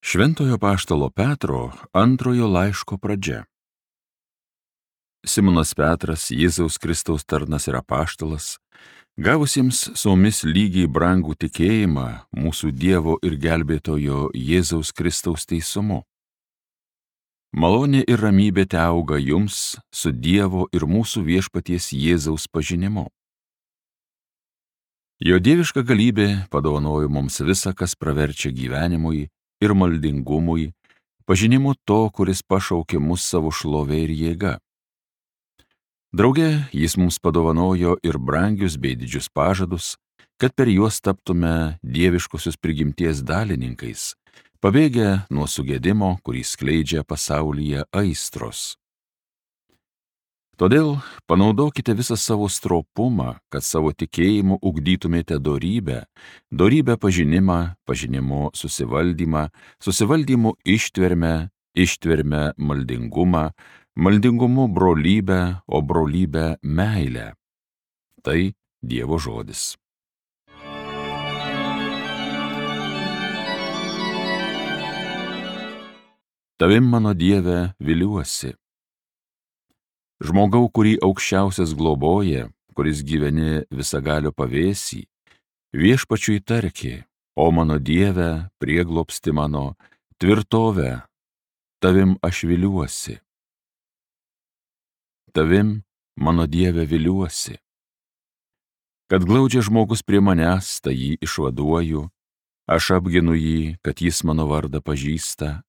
Šventojo apaštalo Petro antrojo laiško pradžia. Simonas Petras, Jėzaus Kristaus tarnas ir apaštalas, gavusiems su mumis lygiai brangų tikėjimą mūsų Dievo ir gelbėtojo Jėzaus Kristaus teisumu. Malonė ir ramybė teauga jums su Dievo ir mūsų viešpaties Jėzaus pažinimu. Jo dieviška galybė padovanojo mums visa, kas praverčia gyvenimui ir maldingumui, pažinimu to, kuris pašaukė mus savo šlovė ir jėga. Drauge jis mums padovanojo ir brangius bei didžius pažadus, kad per juos taptume dieviškosios prigimties dalininkais, pabėgę nuo sugedimo, kurį skleidžia pasaulyje aistros. Todėl panaudokite visą savo stropumą, kad savo tikėjimu ugdytumėte dorybę, dorybę pažinimą, pažinimu susivaldymą, susivaldymu ištvermę, ištvermę maldingumą, maldingumu brolybę, o brolybę meilę. Tai Dievo žodis. Tavim, mano Dieve, viliuosi. Žmogau, kurį aukščiausias globoja, kuris gyveni visagalio pavėsį, viešpačiui tarki, o mano Dieve, prieglobsti mano, tvirtovę, tavim aš viliuosi. Tavim, mano Dieve, viliuosi. Kad glaudžia žmogus prie manęs, tai jį išvaduoju, aš apginu jį, kad jis mano vardą pažįsta,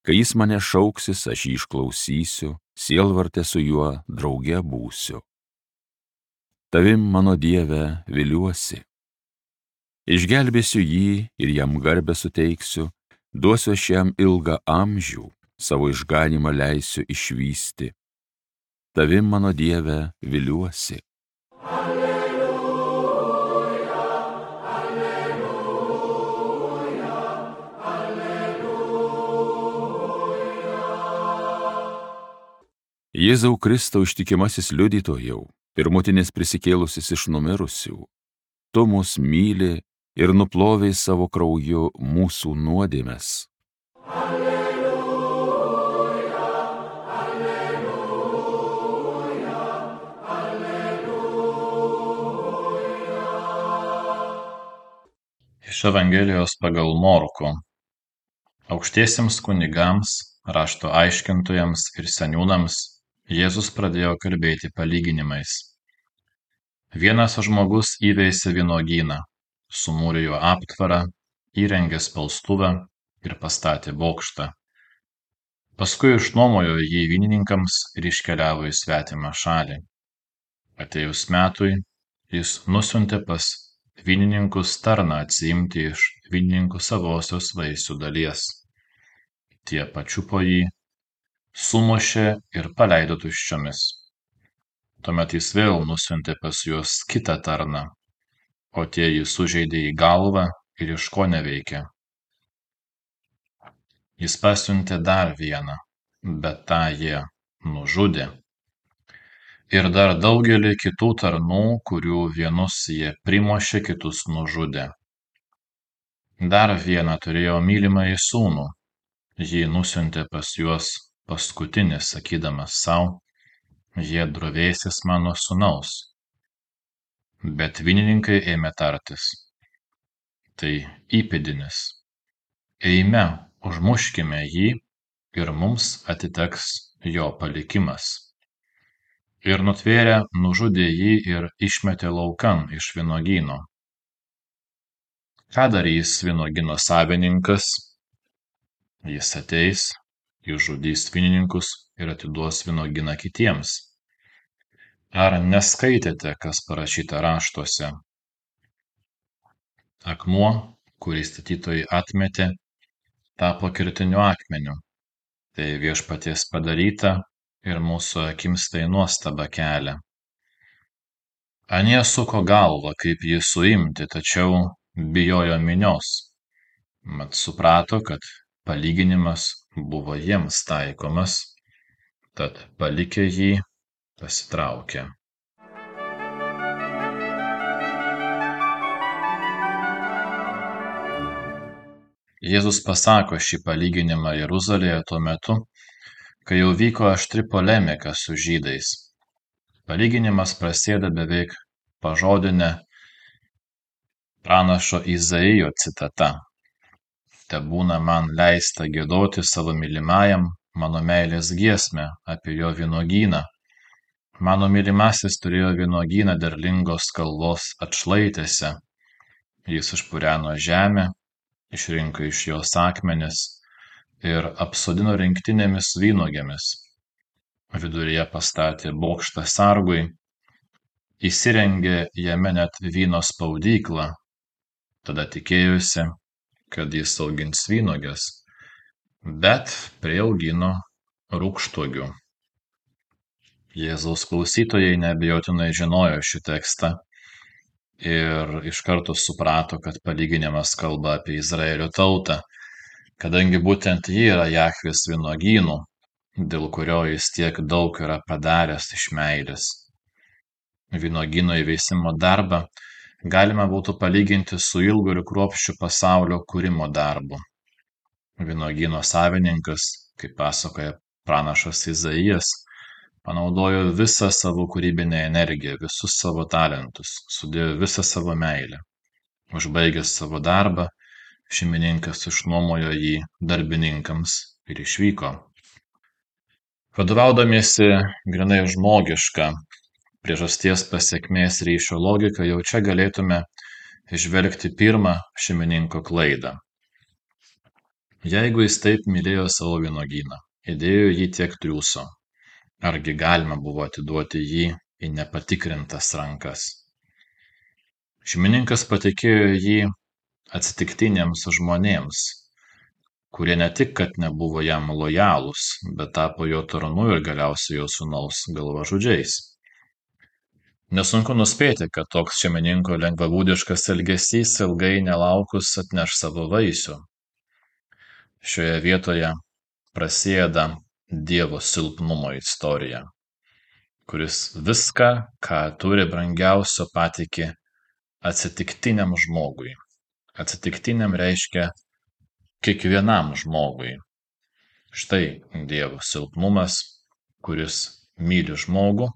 kai jis mane šauksis, aš jį išklausysiu, sielvarte su juo drauge būsiu. Tavim, mano Dieve, viliuosi. Išgelbėsiu jį ir jam garbę suteiksiu, duosiu aš jam ilgą amžių, savo išganymą leisiu išvysti. Tavim, mano Dieve, viliuosi. Jėzau Kristau ištikimasis liudytojau, pirmutinis prisikėlusis iš numirusių, tu mus myli ir nuplovei savo krauju mūsų nuodėmes. Alleluja, alleluja, alleluja. Iš Evangelijos pagal Morkų. Aukštiesiems kunigams, rašto aiškintojams ir seniūnams Jėzus pradėjo kalbėti palyginimais. Vienas žmogus įveisė vynuogyną, sumūrė jo aptvarą, įrengė spaustuvę ir pastatė bokštą. Paskui išnuomojo jį vynininkams ir iškeliavo į svetimą šalį. Atėjus metui, jis nusiuntė pas vynininkus tarną atsiimti iš vynininkų savosios vaisių dalies. Tie pačiupo jį, sumušė ir paleido tuščiomis. Tuomet jis vėl nusiuntė pas juos kitą tarną, o tie jį sužeidė į galvą ir iškoneveikė. Jis pasiuntė dar vieną, bet tą jie nužudė. Ir dar daugelį kitų tarnų, kurių vienus jie primušė, kitus nužudė. Dar vieną turėjo mylimąjį sūnų, jį nusiuntė pas juos paskutinis, sakydamas sau, jie drovėsis mano sūnaus. Bet vynininkai ėmė tartis. Tai įpėdinis. Eime, užmuškime jį ir mums atiteks jo palikimas. Ir nutvėrę nužudė jį ir išmetė laukan iš vynuogyno. Ką darys vynuogyno savininkas? Jis ateis, išžudys vynininkus ir atiduos vynuogyną kitiems. Ar neskaitėte, kas parašyta raštuose? Akmuo, kurį statytojai atmetė, tapo kertiniu akmeniu. Tai viešpaties padaryta ir mūsų akims tai nuostabą kelia. Anie suko galvą, kaip jį suimti, tačiau bijojo minios. Mat suprato, kad palyginimas buvo jiems taikomas, tad palikę jį pasitraukė. Jėzus pasako šį palyginimą Jeruzalėje tuo metu, kai jau vyko aštri polemika su žydais. Palyginimas prasideda beveik pažodinė pranašo Izaijo citata. Tebūna man leista giedoti savo mylimajam mano meilės giesmę apie jo vynuogyną. Mano mylimasis turėjo vynuogyną derlingos kalvos atšlaitėse. Jis išpureno žemę, išrinko iš jos akmenis ir apsodino rinktinėmis vynuogėmis. Viduryje pastatė bokštą sargui, įsirengė jame net vyno spaudyklą, tada tikėjosi, kad jis augins vynuogės, bet priaugino rūgštuogių. Jėzaus klausytojai neabejotinai žinojo šį tekstą ir iš karto suprato, kad palyginimas kalba apie Izraelio tautą, kadangi būtent ji yra Jahvės vynuogynų, dėl kurio jis tiek daug yra padaręs iš meilės. Vynuogyno įveisimo darbą galima būtų palyginti su ilgu ir kruopščiu pasaulio kūrimo darbu. Vynuogyno savininkas, kaip pasakoja pranašas Izaijas, panaudojo visą savo kūrybinę energiją, visus savo talentus, sudėjo visą savo meilę. Užbaigęs savo darbą, šeimininkas išnuomojo jį darbininkams ir išvyko. Vadovaudamiesi grynai žmogišką priežasties pasekmės ryšio logiką, jau čia galėtume įžvelgti pirmą šeimininko klaidą. Jeigu jis taip mylėjo savo vynuogyną, įdėjo jį tiek triūso, argi galima buvo atiduoti jį į nepatikrintas rankas? Šeimininkas patikėjo jį atsitiktiniams žmonėms, kurie ne tik, kad nebuvo jam lojalūs, bet tapo jo tarnu ir galiausiai jo sūnaus galvažudžiais. Nesunku nuspėti, kad toks šeimininko lengvabūdiškas elgesys ilgai nelaukus atneš savo vaisių. Šioje vietoje prasideda Dievo silpnumo istorija, kuris viską, ką turi brangiausio, patiki atsitiktiniam žmogui. Atsitiktiniam reiškia kiekvienam žmogui. Štai Dievo silpnumas, kuris myli žmogų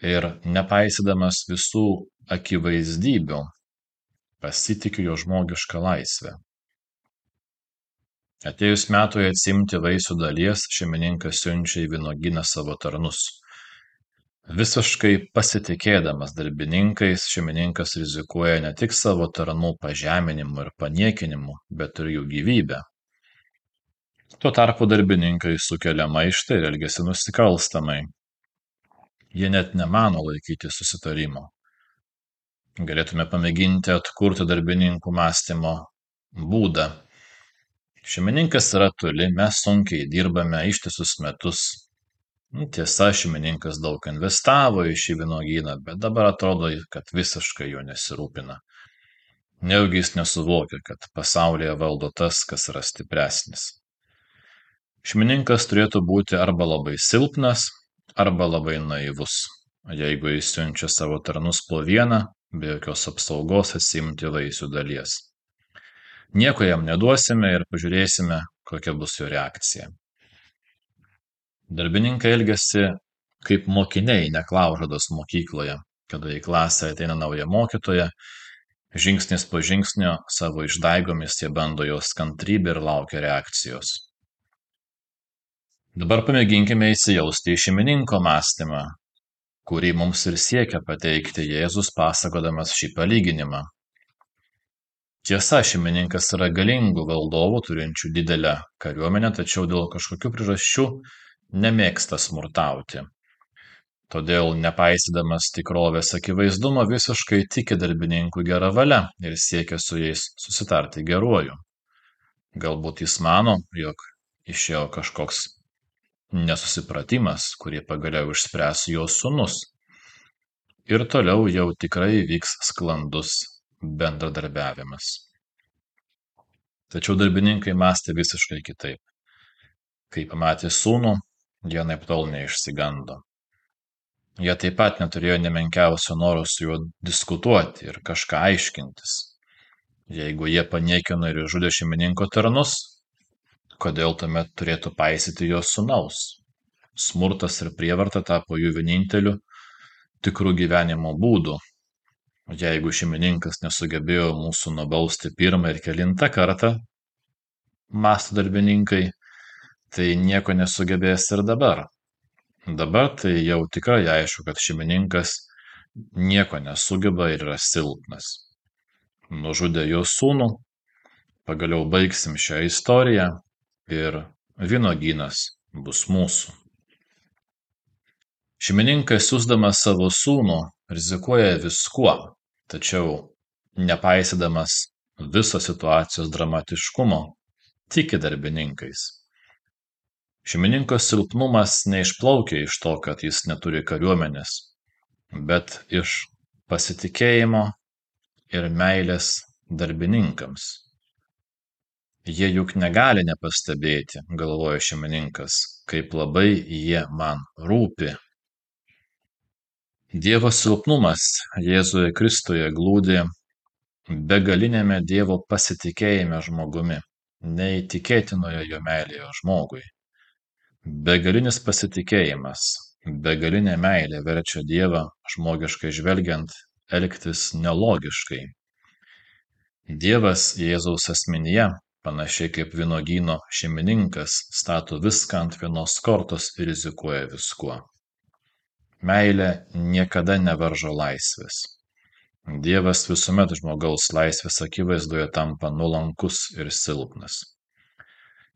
ir nepaisydamas visų akivaizdybių pasitiki jo žmogišką laisvę. Atėjus metui atsiimti vaisių dalies, šeimininkas siunčia į vynuogyną savo tarnus. Visiškai pasitikėdamas darbininkais, šeimininkas rizikuoja ne tik savo tarnų pažeminimu ir paniekinimu, bet ir jų gyvybę. Tuo tarpu darbininkai sukelia maištą ir elgiasi nusikalstamai. Jie net nemano laikyti susitarimo. Galėtume pamėginti atkurti darbininkų mąstymo būdą. Šeimininkas yra toli, mes sunkiai dirbame ištisus metus. Tiesa, šeimininkas daug investavo į šį vynuogyną, bet dabar atrodo, kad visiškai jo nesirūpina. Nejaugi jis nesuvokia, kad pasaulyje valdo tas, kas yra stipresnis. Šeimininkas turėtų būti arba labai silpnas, arba labai naivus, jeigu jis siunčia savo tarnus po vieną, be jokios apsaugos atsiimti vaisių dalies. Nieko jam neduosime ir pažiūrėsime, kokia bus jo reakcija. Darbininkai elgiasi kaip mokiniai neklaužados mokykloje, kada į klasę ateina nauja mokytoja, žingsnis po žingsnio savo išdaigomis jie bando jos kantrybę ir laukia reakcijos. Dabar pamėginkime įsijausti į šeimininko mąstymą, kurį mums ir siekia pateikti Jėzus pasakodamas šį palyginimą. Tiesa, šeimininkas yra galingų valdovų, turinčių didelę kariuomenę, tačiau dėl kažkokių priežasčių nemėgsta smurtauti. Todėl, nepaisydamas tikrovės akivaizdumo, visiškai tiki darbininkų gerą valią ir siekia su jais susitarti geruoju. Galbūt jis mano, jog išėjo kažkoks nesusipratimas, kurį pagaliau išspręs jo sūnus. Ir toliau jau tikrai vyks sklandus bendradarbiavimas. Tačiau darbininkai mąstė visiškai kitaip. Kai pamatė sūnų, jie anaiptol neišsigando. Jie taip pat neturėjo nemenkiausio noro su juo diskutuoti ir kažką aiškintis. Jeigu jie paniekino ir žudė šeimininko tarnus, kodėl tuomet turėtų paisyti jo sūnaus? Smurtas ir prievarta tapo jų vieninteliu tikrų gyvenimo būdu. Jeigu šeimininkas nesugebėjo mūsų nubausti pirmą ir kelintą kartą, mąsto darbininkai, tai nieko nesugebės ir dabar. Dabar tai jau tikrai aišku, kad šeimininkas nieko nesugeba ir yra silpnas. Nužudė jo sūnų, pagaliau baigsim šią istoriją ir vynuogynas bus mūsų. Šeimininkas siųsdamas savo sūnų rizikuoja viskuo, tačiau nepaisydamas viso situacijos dramatiškumo, tiki darbininkais. Šeimininko silpnumas neišplaukia iš to, kad jis neturi kariuomenės, bet iš pasitikėjimo ir meilės darbininkams. Jie juk negali nepastebėti, galvoja šeimininkas, kaip labai jie man rūpi. Dievo silpnumas Jėzuje Kristuje glūdi begalinėme Dievo pasitikėjime žmogumi, neįtikėtinoje jo meilėje žmogui. Begalinis pasitikėjimas, begalinė meilė verčia Dievą, žmogiškai žvelgiant, elgtis nelogiškai. Dievas Jėzaus asmenyje, panašiai kaip vynuogyno šeimininkas, stato viską ant vienos kortos ir rizikuoja viskuo. Meilė niekada nevaržo laisvės. Dievas visuomet žmogaus laisvės akivaizdoje tampa nuolankus ir silpnas.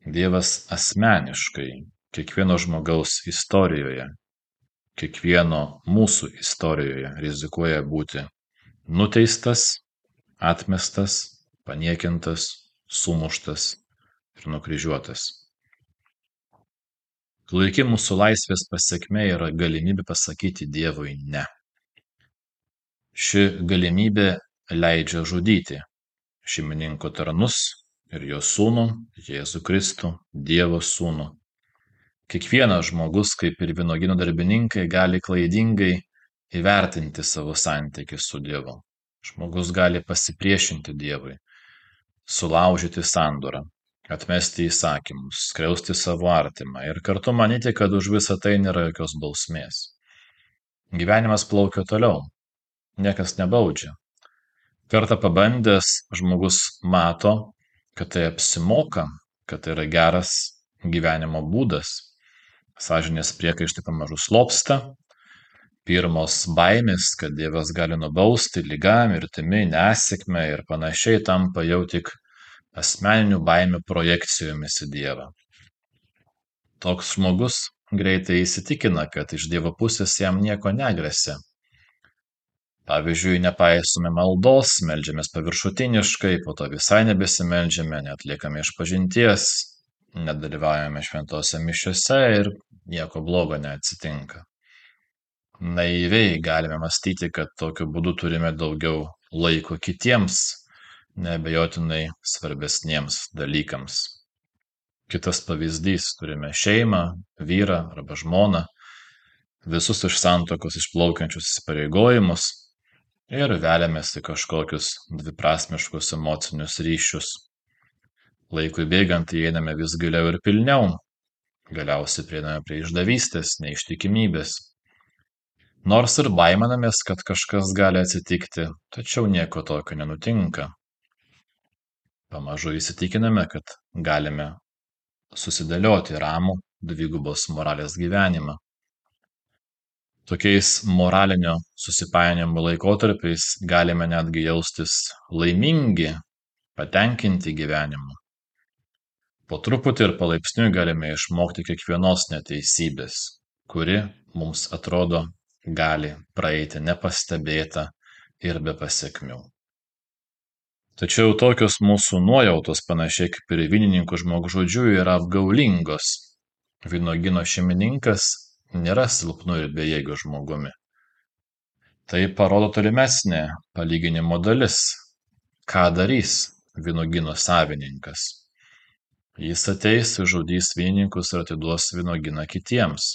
Dievas asmeniškai kiekvieno žmogaus istorijoje, kiekvieno mūsų istorijoje rizikuoja būti nuteistas, atmestas, paniekintas, sumuštas ir nukryžiuotas. Klaiki mūsų laisvės pasekmė yra galimybė pasakyti Dievui ne. Ši galimybė leidžia žudyti šeimininko tarnus ir jo sūnų, Jėzų Kristų, Dievo sūnų. Kiekvienas žmogus, kaip ir vynuogyno darbininkai, gali klaidingai įvertinti savo santykį su Dievu. Žmogus gali pasipriešinti Dievui, sulaužyti sandorą, atmesti įsakymus, skriausti savo artimą ir kartu manyti, kad už visą tai nėra jokios bausmės. Gyvenimas plaukia toliau, niekas nebaudžia. Kartą pabandęs, žmogus mato, kad tai apsimoka, kad tai yra geras gyvenimo būdas. Sąžinės priekaištai pamažu slopsta, pirmos baimės, kad Dievas gali nubausti liga, mirtimi, nesėkme ir panašiai, tampa jau tik asmeninių baimių projekcijomis į Dievą. Toks žmogus greitai įsitikina, kad iš Dievo pusės jam nieko negresia. Pavyzdžiui, nepaisome maldos, meldžiamės paviršutiniškai, po to visai nebesimeldžiame, netliekame išpažinties, nedalyvaujame šventose mišiose ir nieko blogo neatsitinka. Naiviai galime mąstyti, kad tokiu būdu turime daugiau laiko kitiems, neabejotinai svarbesniems dalykams. Kitas pavyzdys, turime šeimą, vyrą arba žmoną, visus iš santuokos išplaukiančius įsipareigojimus ir veliamės į kažkokius dviprasmiškus emocinius ryšius. Laikui bėgant įeiname vis giliau ir pilniau, galiausiai prieiname prie išdavystės, neištikimybės. Nors ir baiminamės, kad kažkas gali atsitikti, tačiau nieko tokio nenutinka. Pamažu įsitikiname, kad galime susidėlioti ramų dvigubos moralės gyvenimą. Tokiais moralinio susipainiojimo laikotarpiais galime netgi jaustis laimingi, patenkinti gyvenimu. Po truputį ir palaipsniui galime išmokti kiekvienos neteisybės, kuri mums atrodo gali praeiti nepastebėta ir be pasekmių. Tačiau tokios mūsų nuojautos, panašiai kaip ir vynininkų žmogžudžių, yra apgaulingos. Vynuogyno šeimininkas nėra silpnu ir bejėgiu žmogumi. Tai parodo tolimesnė palyginimo dalis. Ką darys vynuogyno savininkas? Jis ateis, žudys vynininkus ir atiduos vynuogyną kitiems.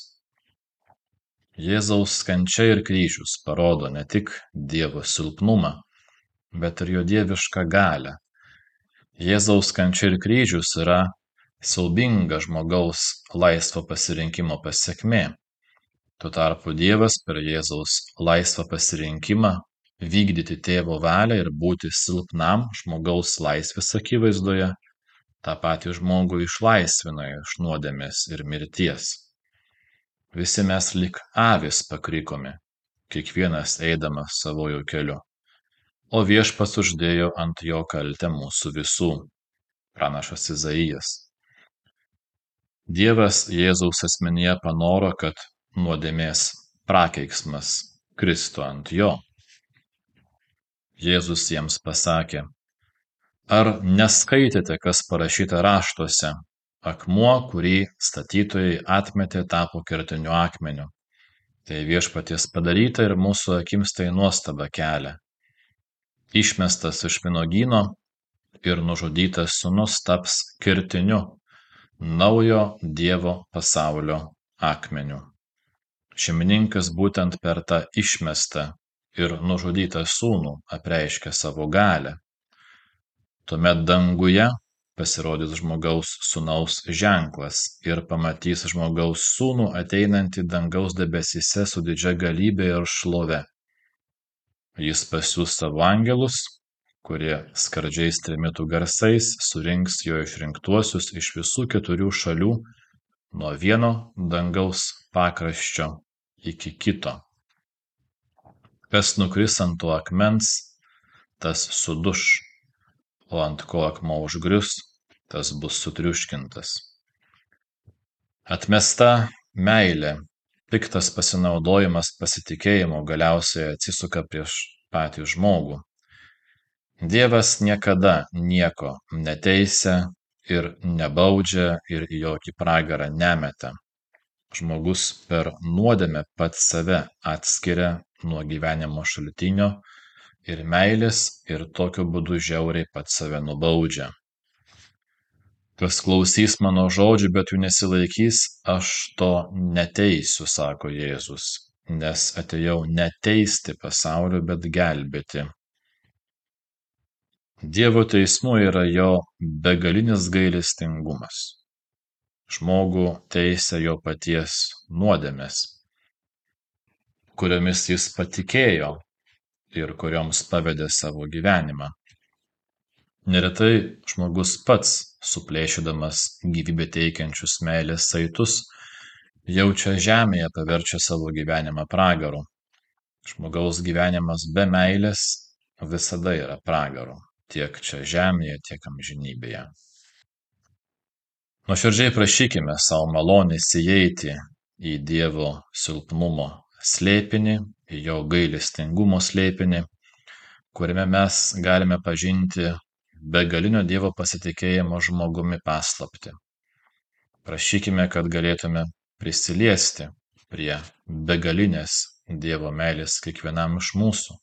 Jėzaus kančia ir kryžius parodo ne tik Dievo silpnumą, bet ir jo dievišką galią, Jėzaus kančia ir kryžius yra siaubinga žmogaus laisvo pasirinkimo pasekmė. Tuo tarpu Dievas per Jėzaus laisvą pasirinkimą vykdyti tėvo valią ir būti silpnam žmogaus laisvės akivaizdoje, tą patį žmogų išlaisvina iš nuodėmės ir mirties. Visi mes lyg avys pakrikomi, kiekvienas eidamas savojų keliu, o Viešpats uždėjo ant jo kaltę mūsų visų. Pranašas Izaijas. Dievas Jėzaus asmenyje panoro, kad nuodėmės prakeiksmas kristų ant jo. Jėzus jiems pasakė: ar neskaitėte, kas parašyta raštuose? Akmuo, kurį statytojai atmetė, tapo kertiniu akmeniu. Tai Viešpaties padaryta ir mūsų akims tai nuostabą kelia. Išmestas iš vynuogyno ir nužudytas sūnus taps kertiniu naujo Dievo pasaulio akmeniu. Šeimininkas būtent per tą išmestą ir nužudytą sūnų apreiškia savo galią. Tuomet danguje pasirodys žmogaus sūnaus ženklas ir pamatys žmogaus sūnų ateinantį dangaus debesyse su didžia galybė ir šlove. Jis pasiųs savo angelus, kurie skardžiais trimitų garsais surinks jo išrinktuosius iš visų 4 šalių, nuo vieno dangaus pakraščio iki kito. Kas nukris ant to akmens, tas suduš, o ant ko akmuo užgrius, tas bus sutriuškintas. Atmesta meilė, piktas pasinaudojimas pasitikėjimo galiausiai atsisuka prieš patį žmogų. Dievas niekada nieko neteisia ir nebaudžia ir į jokį pragarą nemeta. Žmogus per nuodėmę pats save atskiria nuo gyvenimo šaltinio ir meilės ir tokiu būdu žiauriai pats save nubaudžia. Kas klausys mano žodžių, bet jų nesilaikys, aš to neteisiu, sako Jėzus, nes atėjau ne teisti pasaulio, bet gelbėti. Dievo teismu yra jo begalinis gailestingumas. Žmogų teisia jo paties nuodėmės, kuriomis jis patikėjo ir kurioms pavedė savo gyvenimą. Neretai žmogus pats, suplėšydamas gyvybę teikiančius meilės saitus, jaučia žemėje paverčia savo gyvenimą pragaru. Žmogaus gyvenimas be meilės visada yra pragaru, tiek čia žemėje, tiek amžinybėje. Nuoširdžiai prašykime savo malonės įeiti į Dievo silpnumo slėpinį, į jo gailestingumo slėpinį, kuriame mes galime pažinti begalinio Dievo pasitikėjimo žmogumi paslaptį. Prašykime, kad galėtume prisiliesti prie begalinės Dievo meilės kiekvienam iš mūsų.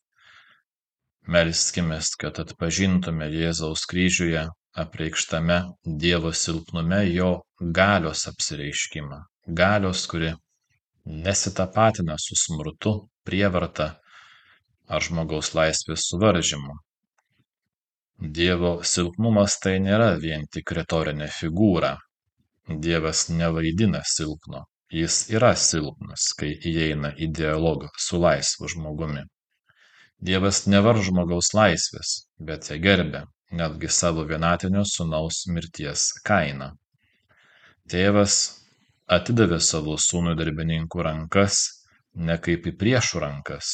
Melskimės, kad atpažintume Jėzaus kryžiuje apreikštame Dievo silpnume jo galios apsireiškimą. Galios, kuri nesitapatina su smurtu, prievarta ar žmogaus laisvės suvaržymu. Dievo silpnumas tai nėra vien tik retorinė figūra. Dievas nevaidina silpno. Jis yra silpnas, kai įeina į dialogą su laisvu žmogumi. Dievas nevaržo žmogaus laisvės, bet ją gerbia, netgi savo vienatinio sūnaus mirties kaina. Tėvas atidavė savo sūnų darbininkų rankas ne kaip į priešų rankas,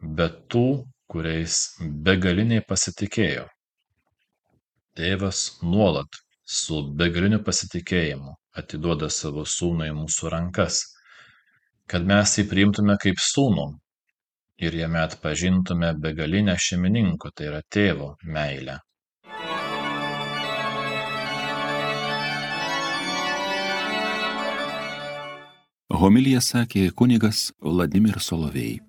bet tų, kuriais begaliniai pasitikėjo. Tėvas nuolat su begaliniu pasitikėjimu atiduoda savo sūnų į mūsų rankas, kad mes jį priimtume kaip sūnų ir jame atpažintume begalinę šeimininko, tai yra tėvo meilę. Homiliją sakė kunigas Vladimir Solovej.